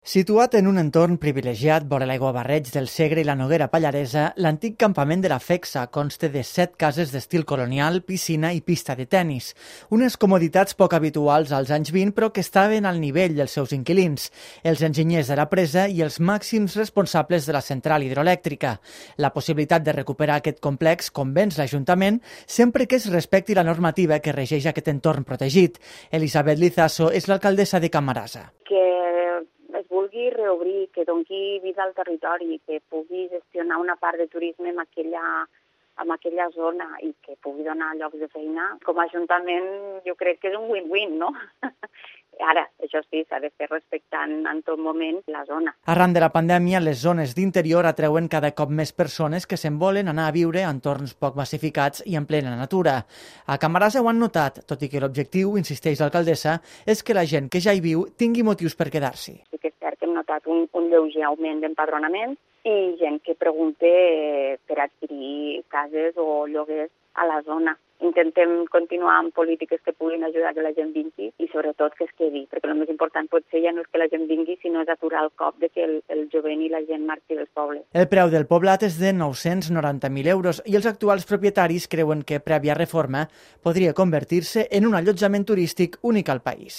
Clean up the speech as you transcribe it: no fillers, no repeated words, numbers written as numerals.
Situat en un entorn privilegiat vora l'aiguabarreig del Segre i la Noguera Pallaresa, l'antic campament de la Fexa consta de 7 cases d'estil colonial, piscina i pista de tennis. Unes comoditats poc habituals als anys 20, però que estaven al nivell dels seus inquilins, els enginyers de la presa i els màxims responsables de la central hidroelèctrica. La possibilitat de recuperar aquest complex convenç l'Ajuntament sempre que es respecti la normativa que regeix aquest entorn protegit. Elisabet Lizaso és l'alcaldessa de Camarasa. Que es vulgui reobrir, que doni vida al territori, que pugui gestionar una part de turisme en aquella zona i que pugui donar llocs de feina, com a Ajuntament jo crec que és un win-win, no? Ara, això sí, s'ha de fer respectant en tot moment la zona. Arran de la pandèmia, les zones d'interior atreuen cada cop més persones que se'n volen anar a viure a entorns poc massificats i en plena natura. A Camarasa ho han notat, tot i que l'objectiu, insisteix l'alcaldessa, és que la gent que ja hi viu tingui motius per quedar-s'hi. Sí que és cert que hem notat un lleuger augment d'empadronament i gent que pregunta per adquirir cases o lloguers a la zona. Intentem continuar amb polítiques que puguin ajudar que la gent vingui i sobretot que es quedi, perquè el més important potser ja no és que la gent vingui, sinó és aturar el cop de que el jovent i la gent marxi dels pobles. El preu del poblat és de 990.000 euros i els actuals propietaris creuen que, prèvia reforma, podria convertir-se en un allotjament turístic únic al país.